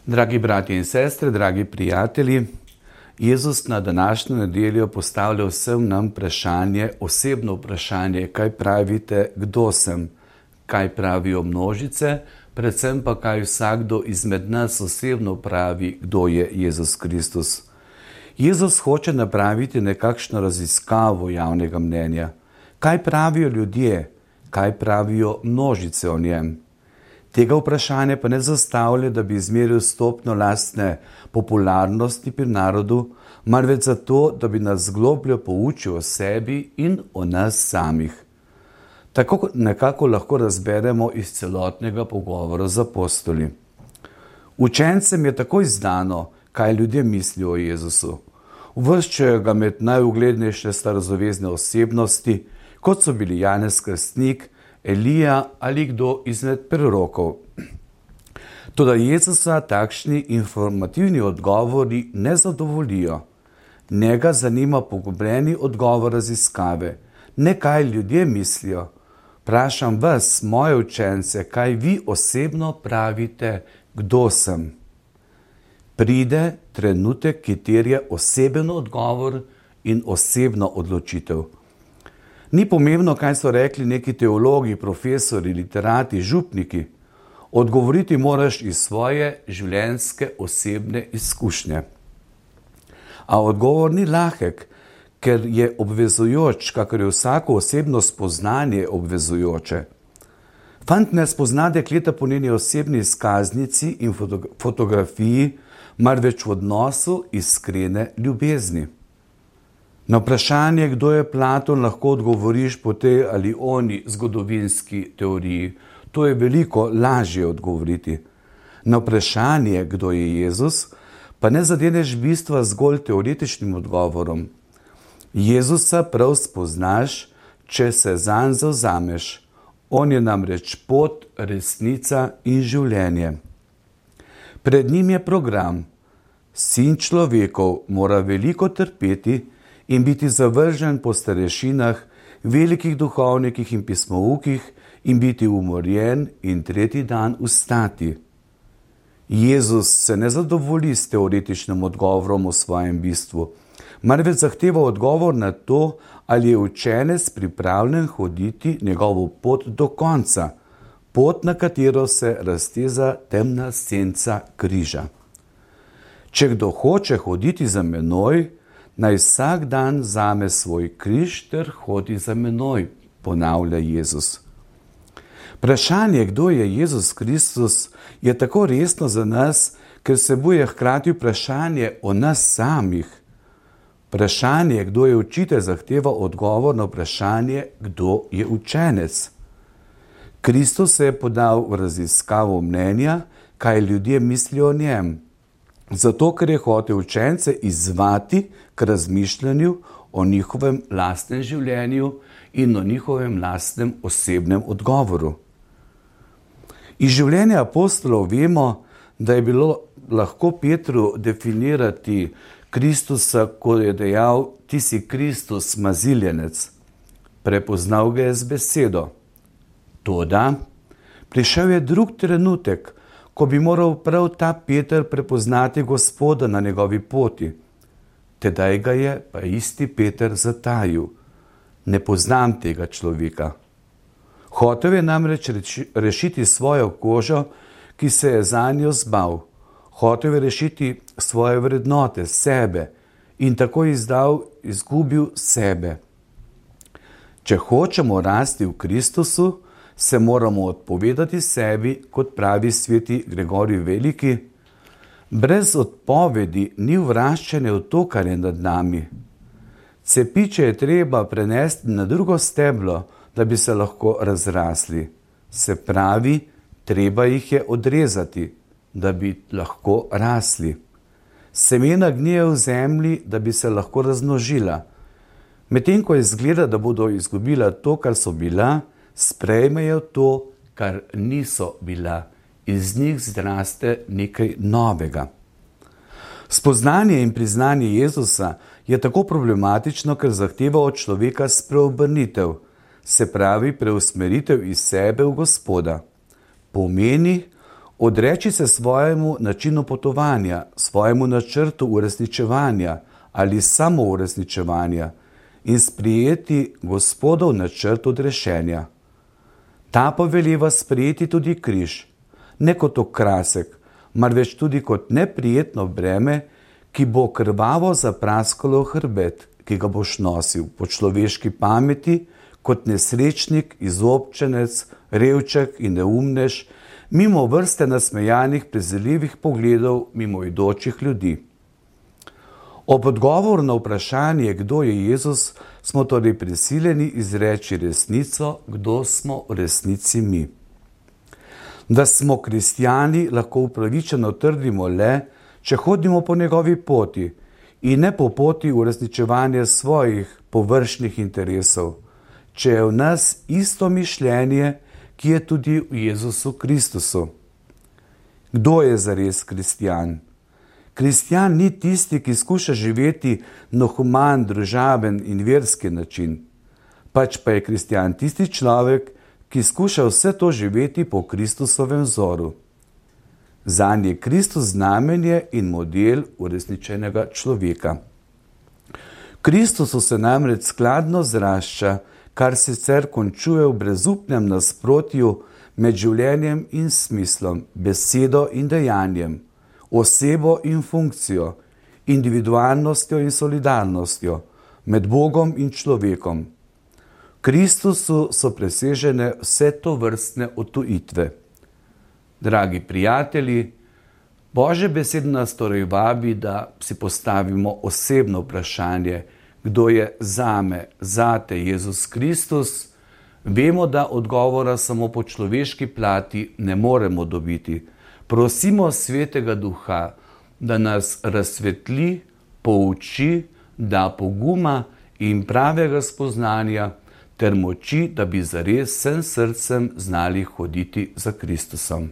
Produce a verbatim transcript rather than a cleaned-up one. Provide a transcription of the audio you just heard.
Dragi bratje in sestre, dragi prijatelji, Jezus na današnjo nedeljo postavlja vsem nam vprašanje, osebno vprašanje, kaj pravite, kdo sem, kaj pravijo množice, predvsem pa kaj vsakdo izmed nas osebno pravi, kdo je Jezus Kristus. Jezus hoče napraviti nekakšno raziskavo javnega mnenja. Kaj pravijo ljudje, kaj pravijo množice o njem? Tega vprašanja pa ne zastavlja, da bi izmeril stopnjo lastne popularnosti pri narodu, marveč zato, da bi nas globlje poučil o sebi in o nas samih. Tako nekako lahko razberemo iz celotnega pogovora z apostoli. Učencem je takoj znano, kaj ljudje mislijo o Jezusu. Uvrščajo ga med najuglednejše starozavezne osebnosti, kot so bili Janez Krstnik, Elija ali kdo izmed prorokov. Toda Jezusa takšni informativni odgovori ne zadovoljijo. Njega zanima poglobljeni odgovor raziskave, ne kaj ljudje mislijo. Vprašam vas, moje učence, kaj vi osebno pravite, kdo sem. Pride trenutek, ki terja oseben odgovor in osebno odločitev. Ni pomembno, kaj so rekli neki teologi, profesori, literati, župniki. Odgovoriti moraš iz svoje življenjske osebne izkušnje. A odgovor ni lahek, ker je obvezujoč, kakor je vsako osebno spoznanje obvezujoče. Fant ne spozna dekleta po njeni osebni izkaznici in fotografiji, marveč v odnosu iskrene ljubezni. Na vprašanje, kdo je Platon, lahko odgovoriš po tej ali oni zgodovinski teoriji. To je veliko lažje odgovoriti. Na vprašanje, kdo je Jezus, pa ne zadeneš bistva zgolj teoretičnim odgovorom. Jezusa prav spoznaš, če se zanj zavzameš. On je namreč pot, resnica in življenje. Pred njim je program. Sin človekov mora veliko trpeti in biti zavržen po starešinah, velikih duhovnikih in pismoukih in biti umorjen in tretji dan vstati. Jezus se ne zadovolji s teoretičnim odgovorom o svojem bistvu, marveč zahteva odgovor na to, ali je učenec pripravljen hoditi njegovo pot do konca, pot, na katero se razteza temna senca križa. Če kdo hoče hoditi za menoj, naj vsak dan vzame svoj križ ter hodi za menoj, ponavlja Jezus. Vprašanje, kdo je Jezus Kristus, je tako resno za nas, ker vsebuje hkrati vprašanje o nas samih. Vprašanje, kdo je učitelj, zahteva odgovor na vprašanje, kdo je učenec. Kristus se je podal v raziskavo mnenja, kaj ljudje mislijo o njem. Zato, ker je hotel učence izzvati k razmišljanju o njihovem lastnem življenju in o njihovem lastnem osebnem odgovoru. Iz življenja apostolov vemo, da je bilo lahko Petru definirati Kristusa, ko je dejal, ti si Kristus, maziljenec. Prepoznal ga je z besedo. Toda prišel je drug trenutek, ko bi moral prav ta Peter prepoznati Gospoda na njegovi poti. Tedaj ga je pa isti Peter zatajil. Ne poznam tega človeka. Hotel je namreč rešiti svojo kožo, ki se je zanjo zbal. Hotel je rešiti svoje vrednote, sebe in tako izdal, izgubil sebe. Če hočemo rasti v Kristusu, se moramo odpovedati sebi, kot pravi sveti Gregorij Veliki. Brez odpovedi ni vraščanja v to, kar je nad nami. Cepiče je treba prenesti na drugo steblo, da bi se lahko razrasli. Se pravi, treba jih je odrezati, da bi lahko rasli. Semena gnijejo v zemlji, da bi se lahko razmnožila. Medtem ko izgleda, da bodo izgubila to, kar so bila, sprejmejo to, kar niso bila. Iz njih zraste nekaj novega. Spoznanje in priznanje Jezusa je tako problematično, ker zahteva od človeka spreobrnitev, se pravi preusmeritev iz sebe v Gospoda. Pomeni Odreči se svojemu načinu potovanja, svojemu načrtu uresničevanja ali samo uresničevanja in sprijeti Gospodov načrt odrešenja. Ta poveliva sprijeti tudi križ, ne kot okrasek, marveč tudi kot neprijetno breme, ki bo krvavo zapraskalo hrbet, ki ga boš nosil po človeški pameti, kot nesrečnik, izobčenec, revček in neumnež, mimo vrste nasmejanih, preziljivih pogledov mimoidočih ljudi. Ob odgovoru na vprašanje, kdo je Jezus, smo torej prisiljeni izreči resnico, kdo smo v resnici mi. Da smo kristjani, lahko upravičeno trdimo le, če hodimo po njegovi poti in ne po poti uresničevanja svojih površnih interesov, če je v nas isto mišljenje, ki je tudi v Jezusu Kristusu. Kdo je zares kristjan? Kristjan ni tisti, ki skuša živeti na human, družaben in verski način, pač pa je kristjan tisti človek, ki skuša vse to živeti po Kristusovem vzoru. Zanj je Kristus znamenje in model uresničenega človeka. Kristusu se namreč skladno zrašča, kar sicer končuje v brezupnem nasprotju med življenjem in smislom, besedo in dejanjem, osebo in funkcijo, individualnostjo in solidarnostjo, med Bogom in človekom. Kristusu so presežene vse to vrstne odtujitve. Dragi prijatelji, Božja beseda nas torej vabi, da si postavimo osebno vprašanje, kdo je zame, zate Jezus Kristus. Vemo, da odgovora samo po človeški plati ne moremo dobiti. Prosimo Svetega Duha, da nas razsvetli, pouči, da poguma in pravega spoznanja ter moči, da bi zares vsem srcem znali hoditi za Kristusom.